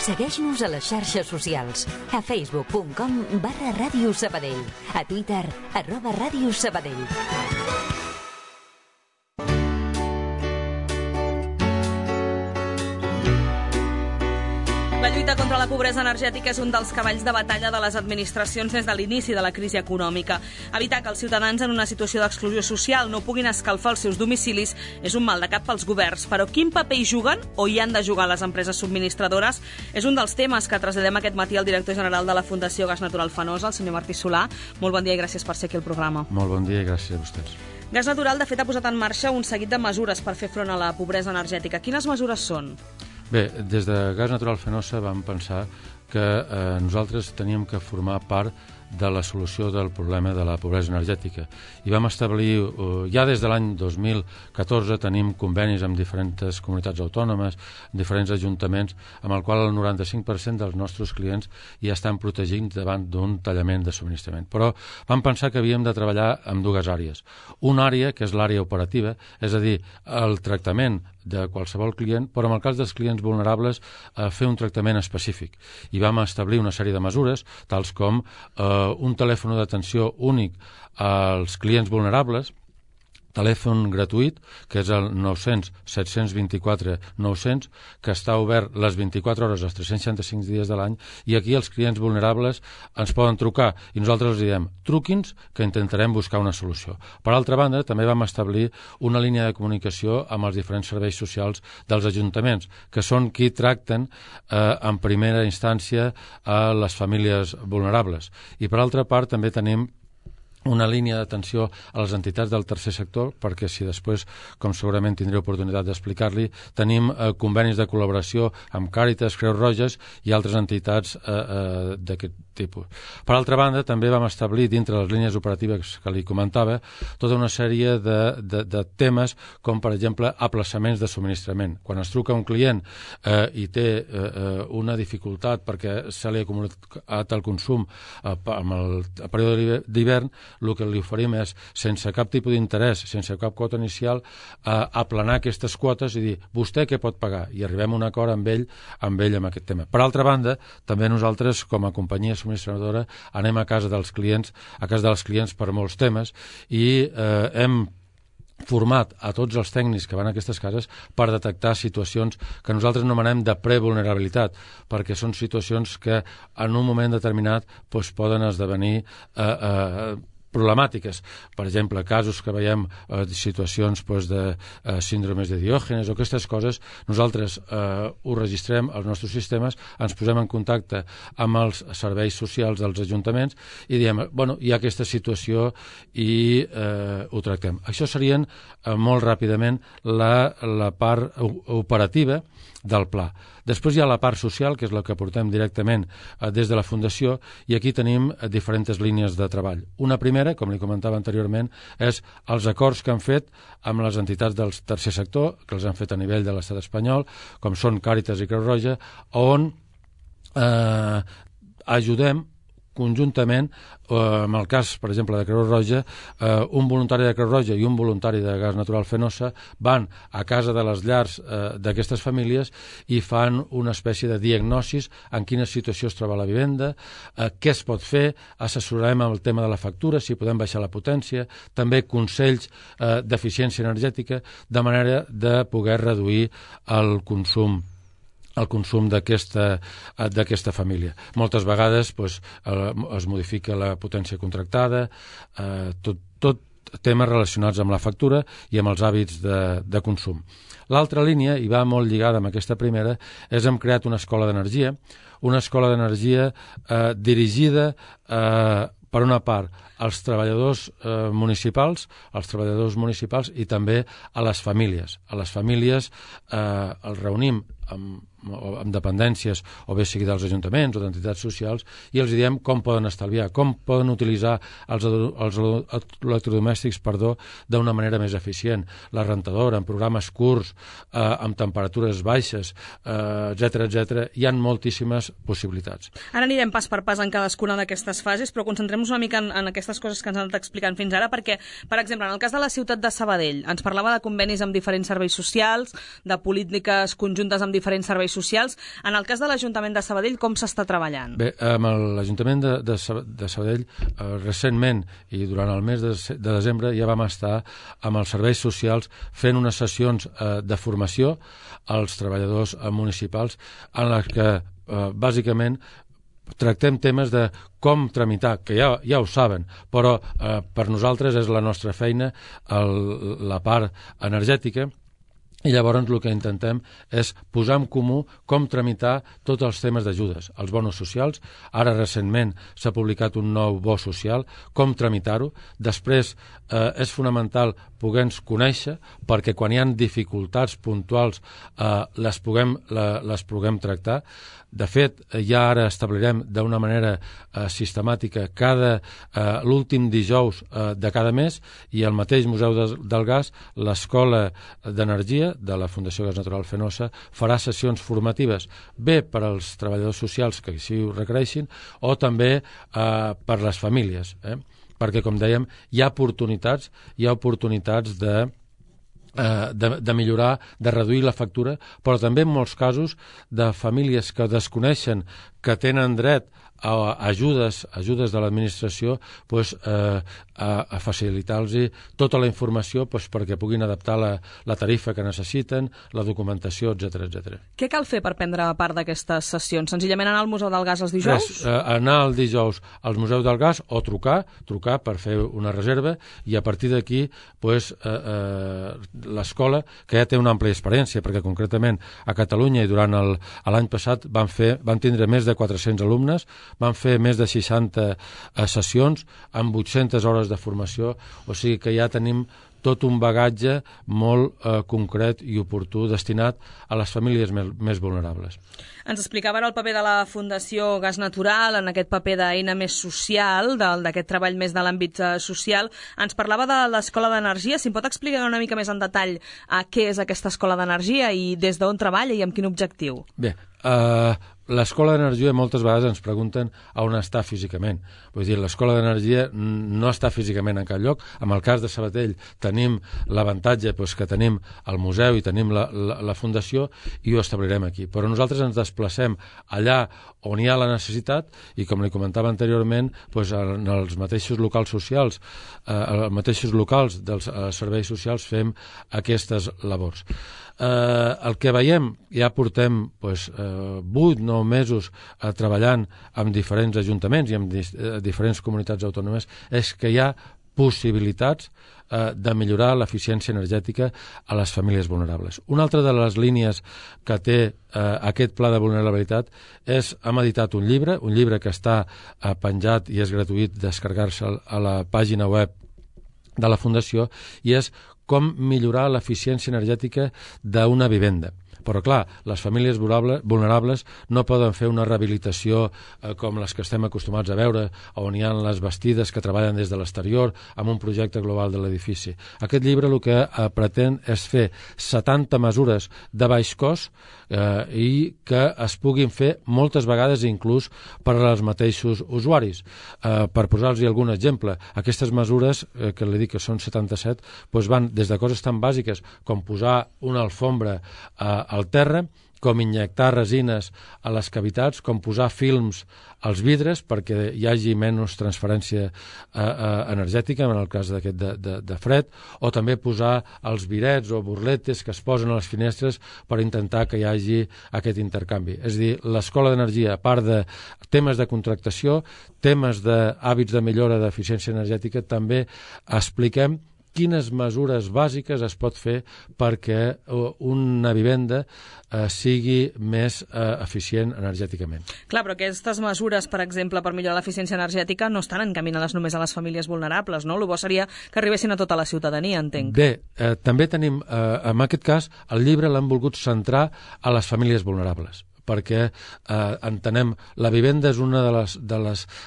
Segueix-nos a les xarxes socials. A facebook.com/Ràdio Sabadell. A Twitter, @Ràdio Sabadell. La lluita contra la pobresa energètica és un dels cavalls de batalla de les administracions des de l'inici de la crisi econòmica. Evitar que els ciutadans en una situació d'exclusió social no puguin escalfar els seus domicilis és un mal de cap pels governs, però quin paper hi juguen o hi han de jugar les empreses subministradores és un dels temes que traslladem aquest matí al director general de la Fundació Gas Natural Fenosa, el senyor Martí Solà. Molt bon dia i gràcies per ser aquí al programa. Molt bon dia i gràcies a vostès. Gas Natural, de fet, ha posat en marxa un seguit de mesures per fer front a la pobresa energètica. Quines mesures són? Bé, des de Gas Natural Fenosa vam pensar que nosaltres teníem que formar part de la solució del problema de la pobresa energètica. I vam establir, ja des de l'any 2014, tenim convenis amb diferents comunitats autònomes, diferents ajuntaments, amb el qual el 95% dels nostres clients ja estan protegits davant d'un tallament de subministrament. Però vam pensar que havíem de treballar en dues àrees. Una àrea, que és l'àrea operativa, és a dir, el tractament de qualsevol client, però en el cas dels clients vulnerables fer un tractament específic. I vam establir una sèrie de mesures, tals com un telèfon d'atenció únic als clients vulnerables, telèfon gratuït, que és el 900-724-900, que està obert les 24 hores, els 365 dies de l'any, i aquí els clients vulnerables ens poden trucar, i nosaltres els diem, truqui'ns, que intentarem buscar una solució. Per altra banda, també vam establir una línia de comunicació amb els diferents serveis socials dels ajuntaments, que són qui tracten en primera instància a les famílies vulnerables. I per altra part, també tenim una línia d'atenció a les entitats del tercer sector, perquè si després, com segurament tindré oportunitat d'explicar-li, tenim convenis de col·laboració amb Càritas, Creus Roges i altres entitats d'aquest tipus. Per altra banda, també vam establir, dintre les línies operatives que li comentava, tota una sèrie de temes, com per exemple aplaçaments de subministrament. Quan es truca un client i té una dificultat perquè se li ha acumulat el consum amb el període d'hivern, el que li oferim és, sense cap tipus d'interès, sense cap quota inicial, aplanar aquestes quotes i dir, vostè què pot pagar? I arribem a un acord amb ell amb aquest tema. Per altra banda, també nosaltres, com a companyia subministradora, anem a casa dels clients per molts temes i hem format a tots els tècnics que van a aquestes cases per detectar situacions que nosaltres anomenem de prevulnerabilitat, perquè són situacions que en un moment determinat poden esdevenir problemàtiques. Per exemple, casos que veiem situacions de síndromes de Diògenes o aquestes coses, nosaltres ho registrem als nostres sistemes, ens posem en contacte amb els serveis socials dels ajuntaments i diem, bueno, hi ha aquesta situació i ho tractem. Això serien molt ràpidament la part operativa del pla. Després hi ha la part social, que és la que portem directament des de la Fundació, i aquí tenim diferents línies de treball. Una primera, com li comentava anteriorment, és els acords que han fet amb les entitats del tercer sector, que els han fet a nivell de l'estat espanyol, com són Càritas i Creu Roja, on ajudem conjuntament, en el cas, per exemple, de Creu Roja, un voluntari de Creu Roja i un voluntari de Gas Natural Fenosa van a casa de les llars d'aquestes famílies i fan una espècie de diagnosis en quina situació es troba la vivenda, què es pot fer, assessorarem amb el tema de la factura, si podem baixar la potència, també consells d'eficiència energètica, de manera de poder reduir el consum d'aquesta família. Moltes vegades es modifica la potència contractada, tot temes relacionats amb la factura i amb els hàbits de consum. L'altra línia, i va molt lligada amb aquesta primera, és hem creat una escola d'energia dirigida per una part als treballadors municipals i també a les famílies. A les famílies els reunim amb dependències, o bé sigui dels ajuntaments o d'entitats socials, i els diem com poden estalviar, com poden utilitzar els electrodomèstics d'una manera més eficient. La rentadora, en programes curts, amb temperatures baixes, etc. Hi ha moltíssimes possibilitats. Ara anirem pas per pas en cadascuna d'aquestes fases, però concentrem-nos una mica en aquestes coses que ens han anat explicant fins ara, perquè, per exemple, en el cas de la ciutat de Sabadell, ens parlava de convenis amb diferents serveis socials, de polítiques conjuntes amb diferents serveis socials. En el cas de l'Ajuntament de Sabadell, com s'està treballant? Bé, amb l'Ajuntament de Sabadell, recentment i durant el mes de desembre ja vam estar amb els serveis socials fent unes sessions de formació als treballadors municipals en les que bàsicament tractem temes de com tramitar, que ja ho saben, però per nosaltres és la nostra feina la part energètica. I llavors el que intentem és posar en comú com tramitar tots els temes d'ajudes, els bonos socials. Ara recentment s'ha publicat un nou bo social, com tramitar-ho. Després és fonamental poder-nos conèixer, perquè quan hi ha dificultats puntuals les puguem tractar. De fet, ja ara establirem d'una manera sistemàtica l'últim dijous de cada mes, i al mateix Museu del Gas, l'Escola d'Energia de la Fundació Gas Natural Fenosa farà sessions formatives, bé per als treballadors socials que així ho requereixin, o també per les famílies, perquè, com dèiem, hi ha oportunitats de millorar, de reduir la factura, però també en molts casos de famílies que desconeixen que tenen dret a ajudes de l'administració, a facilitar-los tota la informació perquè puguin adaptar la tarifa que necessiten, la documentació, etc. Què cal fer per prendre part d'aquestes sessions? Senzillament anar al Museu del Gas els dijous? Anar el dijous al Museu del Gas o trucar per fer una reserva, i a partir d'aquí l'escola, que ja té una àmplia experiència, perquè concretament a Catalunya i durant l'any passat van tindre més de 400 alumnes, van fer més de 60 sessions amb 800 hores de formació, o sigui que ja tenim tot un bagatge molt concret i oportú destinat a les famílies més vulnerables. Ens explicava ara el paper de la Fundació Gas Natural en aquest paper d'eina més social, d'aquest treball més de l'àmbit social. Ens parlava de l'Escola d'Energia. Si em pot explicar una mica més en detall què és aquesta Escola d'Energia i des d'on treballa i amb quin objectiu? Bé, l'Escola d'Energia moltes vegades ens pregunten a on està físicament. Vull dir, l'Escola d'Energia no està físicament en cap lloc. En el cas de Sabadell tenim l'avantatge que tenim el museu i tenim la fundació, i ho establirem aquí. Però nosaltres ens desplacem allà on hi ha la necessitat, i com li comentava anteriorment, en els mateixos locals socials, els mateixos locals dels serveis socials fem aquestes labors. El que veiem, ja portem 8-9 mesos treballant amb diferents ajuntaments i amb diferents comunitats autònomes, és que hi ha possibilitats de millorar l'eficiència energètica a les famílies vulnerables. Una altra de les línies que té aquest pla de vulnerabilitat és, hem editat un llibre que està penjat i és gratuït descarregar-se a la pàgina web de la Fundació, i és com millorar l'eficiència energètica d'una vivenda. Però, clar, les famílies vulnerables no poden fer una rehabilitació com les que estem acostumats a veure, on hi ha les bastides que treballen des de l'exterior amb un projecte global de l'edifici. Aquest llibre el que pretén és fer 70 mesures de baix cost i que es puguin fer moltes vegades inclús per als mateixos usuaris. Per posar-los algun exemple, aquestes mesures, que li dic que són 77, van des de coses tan bàsiques com posar una alfombra al terra, com injectar resines a les cavitats, com posar films als vidres perquè hi hagi menys transferència energètica en el cas d'aquest de fred, o també posar els birets o burletes que es posen a les finestres per intentar que hi hagi aquest intercanvi. És a dir, l'Escola d'Energia, a part de temes de contractació, temes d'hàbits de millora d'eficiència energètica, també expliquem quines mesures bàsiques es pot fer perquè una vivenda sigui més eficient energèticament. Clar, però aquestes mesures, per exemple, per millorar l'eficiència energètica no estan encaminades només a les famílies vulnerables, no? El bo seria que arribessin a tota la ciutadania, entenc. Bé, també tenim, en aquest cas, el llibre l'hem volgut centrar a les famílies vulnerables, perquè entenem, la vivenda és una de les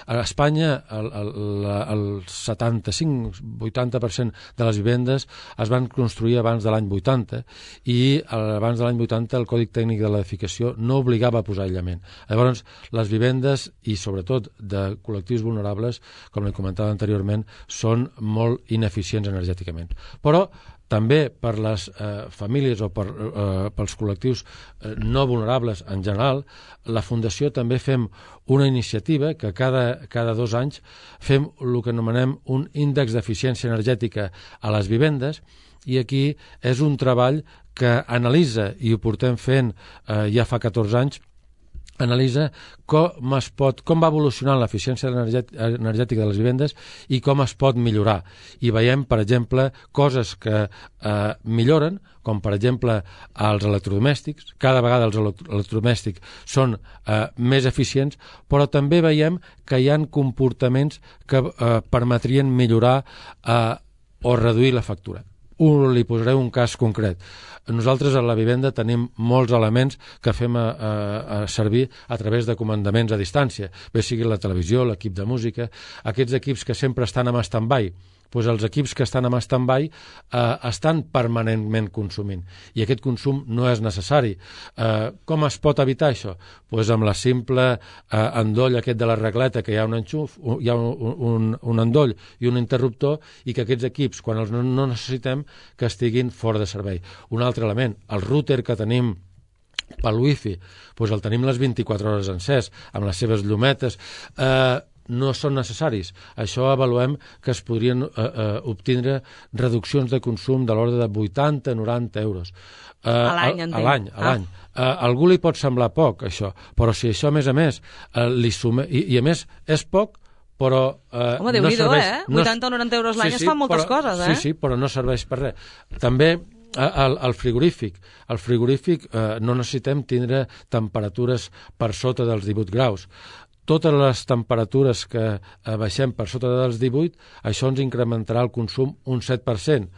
a Espanya el 75-80% de les vivendes es van construir abans de l'any 80, i abans de l'any 80 el Còdic Tècnic de l'Edificació no obligava a posar aïllament. Llavors, les vivendes, i sobretot de col·lectius vulnerables, com li comentava anteriorment, són molt ineficients energèticament. Però també per les famílies o pels col·lectius no vulnerables en general, la Fundació també fem una iniciativa que cada 2 anys fem el que anomenem un índex d'eficiència energètica a les vivendes, i aquí és un treball que analitza, i ho portem fent ja fa 14 anys, analitza com va evolucionant l'eficiència energètica de les vivendes i com es pot millorar. I veiem, per exemple, coses que milloren, com per exemple els electrodomèstics. Cada vegada els electrodomèstics són més eficients, però també veiem que hi ha comportaments que permetrien millorar o reduir la factura. Li posaré un cas concret. Nosaltres a la vivenda tenim molts elements que fem servir a través de comandaments a distància, bé sigui la televisió, l'equip de música, aquests equips que sempre estan en stand-by. Doncs els equips que estan en stand-by estan permanentment consumint, i aquest consum no és necessari. Com es pot evitar això? Doncs amb la simple endoll aquest de la regleta, que hi ha un enxuf, hi ha un endoll i un interruptor, i que aquests equips, quan els no necessitem, que estiguin fora de servei. Un altre element, el router que tenim pel wifi, doncs el tenim les 24 hores encès, amb les seves llumetes, no són necessaris. Això avaluem que es podrien obtindre reduccions de consum de l'ordre de 80-90 euros. A l'any, entenc. A l'any. A algú li pot semblar poc, això, però si això, a més, li suma... I a més, és poc, però... Home, Déu-n'hi-do, 80 o 90 euros l'any es fan moltes coses, Sí, però no serveix per res. També el frigorífic. El frigorífic no necessitem tindre temperatures per sota dels 18 graus. Totes les temperatures que baixem per sota dels 18, això ens incrementarà el consum un 7%.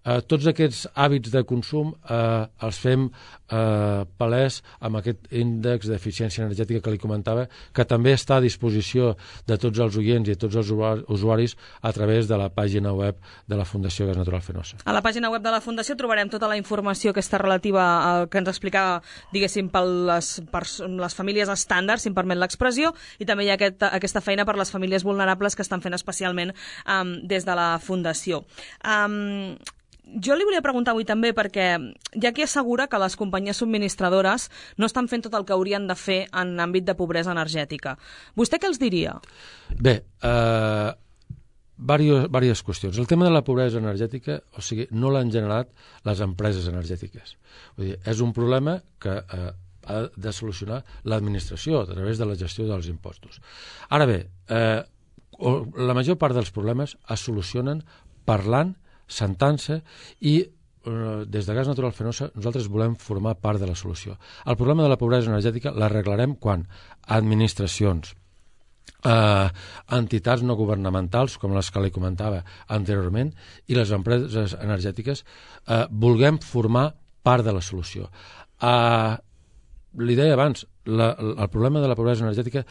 Tots aquests hàbits de consum els fem palès amb aquest índex d'eficiència energètica que li comentava, que també està a disposició de tots els oients i de tots els usuaris a través de la pàgina web de la Fundació Gas Natural Fenosa. A la pàgina web de la Fundació trobarem tota la informació que està relativa al que ens explicava, diguéssim, per les famílies estàndard, si em permet l'expressió, i també hi ha aquesta feina per les famílies vulnerables que estan fent especialment des de la Fundació. Jo li volia preguntar avui també, perquè hi ha qui assegura que les companyies subministradores no estan fent tot el que haurien de fer en àmbit de pobresa energètica. Vostè què els diria? Bé, diverses qüestions. El tema de la pobresa energètica, o sigui, no l'han generat les empreses energètiques. Vull dir, és un problema que ha de solucionar l'administració a través de la gestió dels impostos. Ara bé, la major part dels problemes es solucionen parlant, sentant-se, i des de Gas Natural Fenosa nosaltres volem formar part de la solució. El problema de la pobresa energètica l'arreglarem quan administracions, entitats no governamentals, com les que li comentava anteriorment, i les empreses energètiques vulguem formar part de la solució. Li deia abans, el problema de la pobresa energètica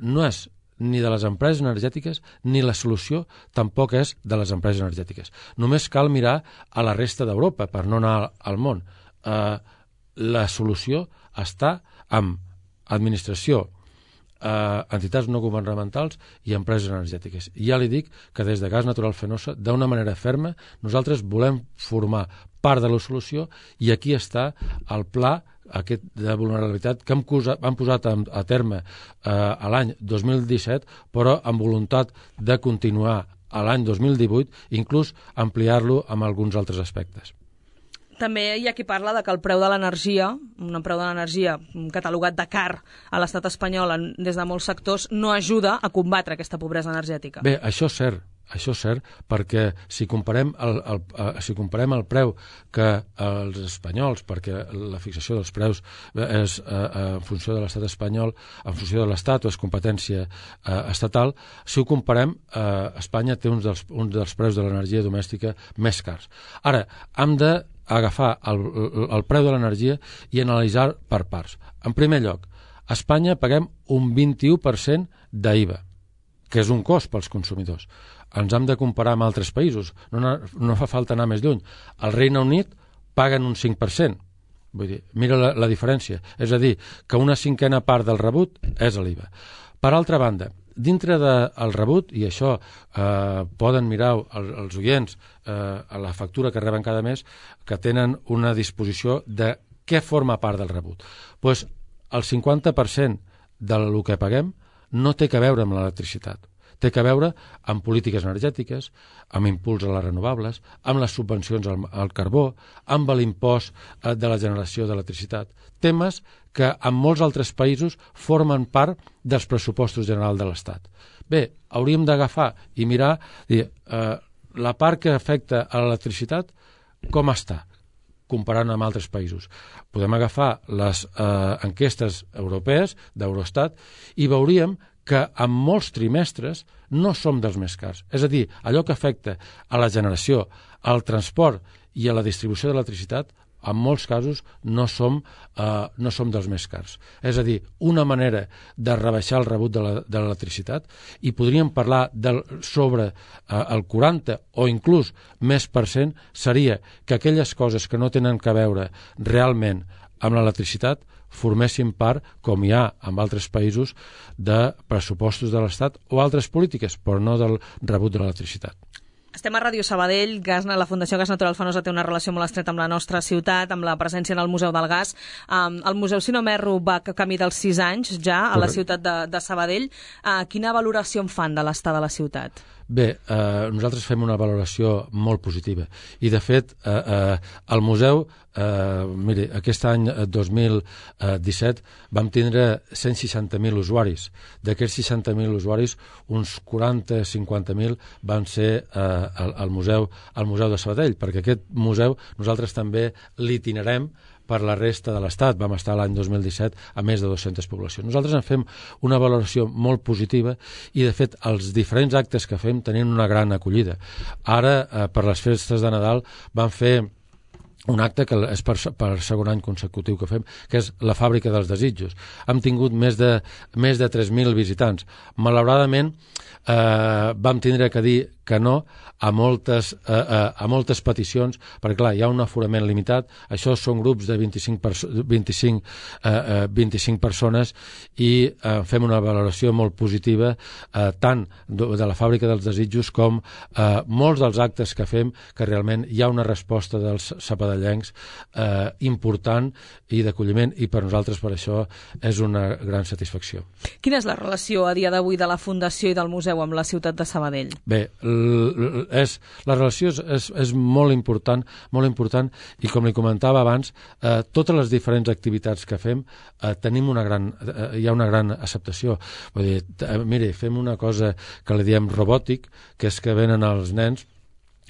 no és ni de les empreses energètiques, ni la solució tampoc és de les empreses energètiques. Només cal mirar a la resta d'Europa per no anar al món. La solució està amb administració, entitats no governamentals i empreses energètiques. Ja li dic que des de Gas Natural Fenosa, d'una manera ferma, nosaltres volem formar part de la solució, i aquí està el pla aquest de vulnerabilitat que han posat a terme a l'any 2017, però amb voluntat de continuar a l'any 2018, inclús ampliar-lo amb alguns altres aspectes. També hi ha qui parla de que el preu de l'energia, un preu de l'energia catalogat de car a l'estat espanyol des de molts sectors, no ajuda a combatre aquesta pobresa energètica. Bé, això és cert, perquè si comparem el preu que els espanyols, perquè la fixació dels preus és en funció de l'estat espanyol, en funció de l'estat o és competència estatal, si ho comparem, Espanya té un dels preus de l'energia domèstica més cars. Ara, hem d'agafar el preu de l'energia i analitzar per parts. En primer lloc, a Espanya paguem un 21% d'IVA, que és un cost pels consumidors. Ens hem de comparar amb altres països, no fa falta anar més lluny. Al Regne Unit paguen un 5%, vull dir, mira la diferència, és a dir, que una cinquena part del rebut és l'IVA. Per altra banda, dintre del rebut, i això poden mirar els oients a la factura que reben cada mes, que tenen una disposició de què forma part del rebut. Doncs el 50% del que paguem no té que veure amb l'electricitat. Té que veure amb polítiques energètiques, amb impuls a les renovables, amb les subvencions al carbó, amb l'impost de la generació d'electricitat. Temes que en molts altres països formen part dels pressupostos generals de l'Estat. Bé, hauríem d'agafar i mirar la part que afecta a l'electricitat, com està, comparant amb altres països. Podem agafar les enquestes europees d'Eurostat i veuríem que en molts trimestres no som dels més cars. És a dir, allò que afecta a la generació, al transport i a la distribució d'electricitat, en molts casos no som dels més cars. És a dir, una manera de rebaixar el rebut de l'electricitat, i podríem parlar sobre el 40 o inclús més %, seria que aquelles coses que no tenen que veure realment amb l'electricitat formessin part, com hi ha en altres països, de pressupostos de l'Estat o altres polítiques, però no del rebut de l'electricitat. Estem a Ràdio Sabadell. La Fundació Gas Natural Fenosa té una relació molt estreta amb la nostra ciutat, amb la presència en el Museu del Gas. El Museu, si no m'erro, va camí dels 6 anys ja a la ciutat de Sabadell. Quina valoració en fan de l'estat de la ciutat? Bé, nosaltres fem una valoració molt positiva i, de fet, el museu, miri, aquest any 2017 vam tindre 160.000 usuaris. D'aquests 60.000 usuaris, uns 40-50.000 van ser al museu de Sabadell, perquè aquest museu nosaltres també l'itinerem per la resta de l'Estat. Vam estar l'any 2017 a més de 200 poblacions. Nosaltres en fem una valoració molt positiva i, de fet, els diferents actes que fem tenen una gran acollida. Ara, per les festes de Nadal, vam fer un acte que és per segon any consecutiu que fem, que és la Fàbrica dels Desitjos. Hem tingut més de 3.000 visitants. Malauradament, vam tindre que dir que no a moltes peticions, perquè clar, hi ha un aforament limitat. Això són grups de 25 persones i fem una valoració molt positiva tant de la Fàbrica dels Desitjos com molts dels actes que fem, que realment hi ha una resposta dels sapadellencs important i d'acolliment, i per nosaltres per això és una gran satisfacció. Quina és la relació a dia d'avui de la Fundació i del museu amb la ciutat de Sabadell? Bé, la relació és molt important, i com li comentava abans, totes les diferents activitats que fem hi ha una gran acceptació. Vull dir, mire, fem una cosa que li diem robòtic, que és que venen els nens,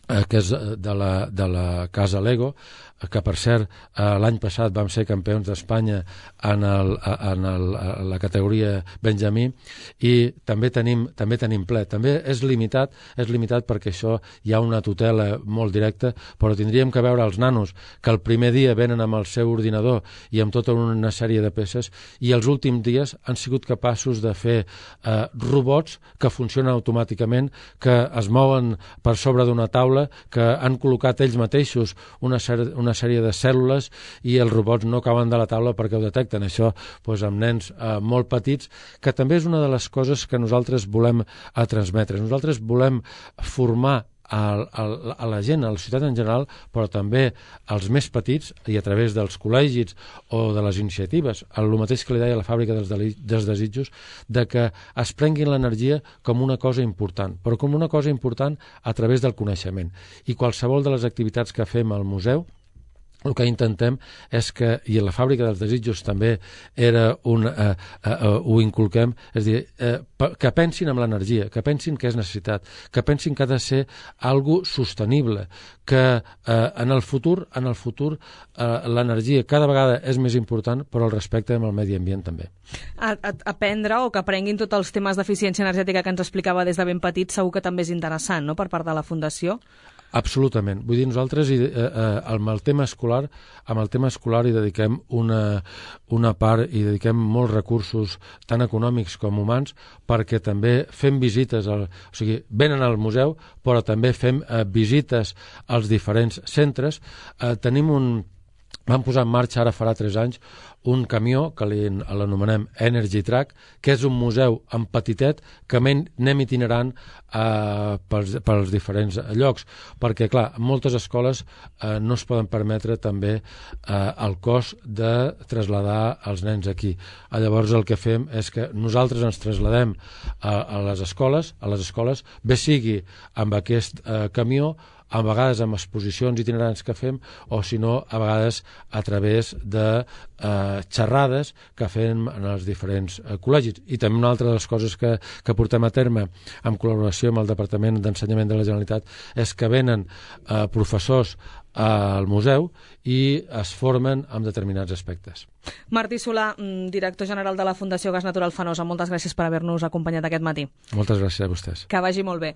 que és de la casa Lego, que per cert l'any passat vam ser campions d'Espanya en la categoria Benjamí, i també tenim ple. També és limitat perquè això hi ha una tutela molt directa, però tindríem que veure els nanos que el primer dia venen amb el seu ordinador i amb tota una sèrie de peces, i els últims dies han sigut capaços de fer robots que funcionen automàticament, que es mouen per sobre d'una taula, que han col·locat ells mateixos una sèrie de cèl·lules, i els robots no cauen de la taula perquè ho detecten. Això amb nens molt petits, que també és una de les coses que nosaltres volem transmetre. Nosaltres volem formar a la gent, a la societat en general, però també als més petits, i a través dels col·legis o de les iniciatives, el mateix que li deia la Fàbrica dels Desitjos, de que es prenguin l'energia com una cosa important, però com una cosa important a través del coneixement. I qualsevol de les activitats que fem al museu, el que intentem és que, i a la Fàbrica dels Desitjos també ho inculquem, és dir, que pensin en l'energia, que pensin que és necessitat, que pensin que ha de ser algo sostenible, que en el futur l'energia cada vegada és més important, però el respecte amb el medi ambient també. Aprendre o que aprenguin tots els temes d'eficiència energètica que ens explicava des de ben petit segur que també és interessant, no?, per part de la Fundació. Absolutament. Vull dir, nosaltres amb el tema escolar hi dediquem una part, i dediquem molts recursos tant econòmics com humans, perquè també fem visites, o sigui, venen al museu, però també fem visites als diferents centres. Tenim vam posar en marxa, ara farà 3 anys, un camió que l'anomenem Energy Track, que és un museu en petitet que anem itinerant pels diferents llocs, perquè, clar, moltes escoles no es poden permetre també el cost de traslladar els nens aquí. Llavors el que fem és que nosaltres ens trasladem a les escoles, bé sigui amb aquest camió, a vegades amb exposicions itinerants que fem, o si no, a vegades a través de xerrades que fem en els diferents col·legis. I també una altra de les coses que portem a terme en col·laboració amb el Departament d'Ensenyament de la Generalitat és que venen professors al museu i es formen en determinats aspectes. Martí Solà, director general de la Fundació Gas Natural Fenosa, moltes gràcies per haver-nos acompanyat aquest matí. Moltes gràcies a vostès. Que vagi molt bé.